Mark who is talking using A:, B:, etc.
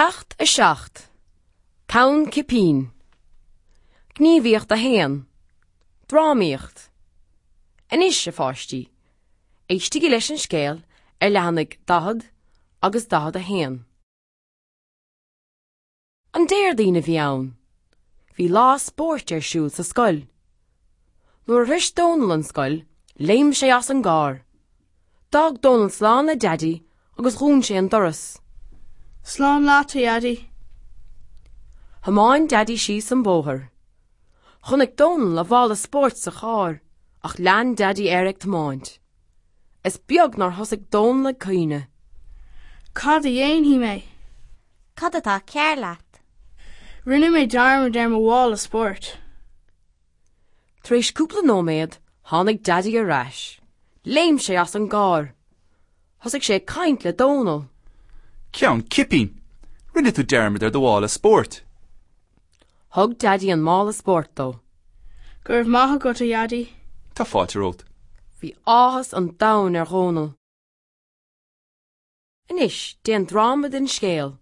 A: Ceacht 7, Ceann Cipín. Gníomhaíocht 1, Drámaíocht. Anois, a pháistí, éistigí leis an scéal ar leathanaigh 40 agus 41. An Déardaoin a bhí ann. Bhí lá spóirt ar siúl sa scoil. Nuair a shroich Dónal an scoil, léim sé as an gcarr. D'fhág Dónal slán le Daidí agus dhún sé an doras.
B: Slán leat, a Dhaidí.
A: Thiomáin Daidí síos an bóthar. Chonaic Dónal a mhála spóirt sa charr ach lean Daidí air ag tiomáint. Is beag nár thosaigh Dónal ag caoineadh.
B: Cad a dhéanfaidh mé?
C: Cad atá cearr leat?
B: Rinne mé dearmad ar mo mhála spóirt.
A: Tar éis cúpla nóiméad, tháinig Daidí ar ais. Léim sé as an gcarr. Thosaigh sé ag caint le Dónal.
D: Ceann cipín! Rinne tú dearmad ar do mhála spóirt!
A: Thug Daidí an mála spóirt dó.
B: Go raibh maith agat, a Dhaidí.
D: Tá fáilte romhat.
A: Bhí áthas an domhain ar Dhónal. Anois, déan dráma den scéal.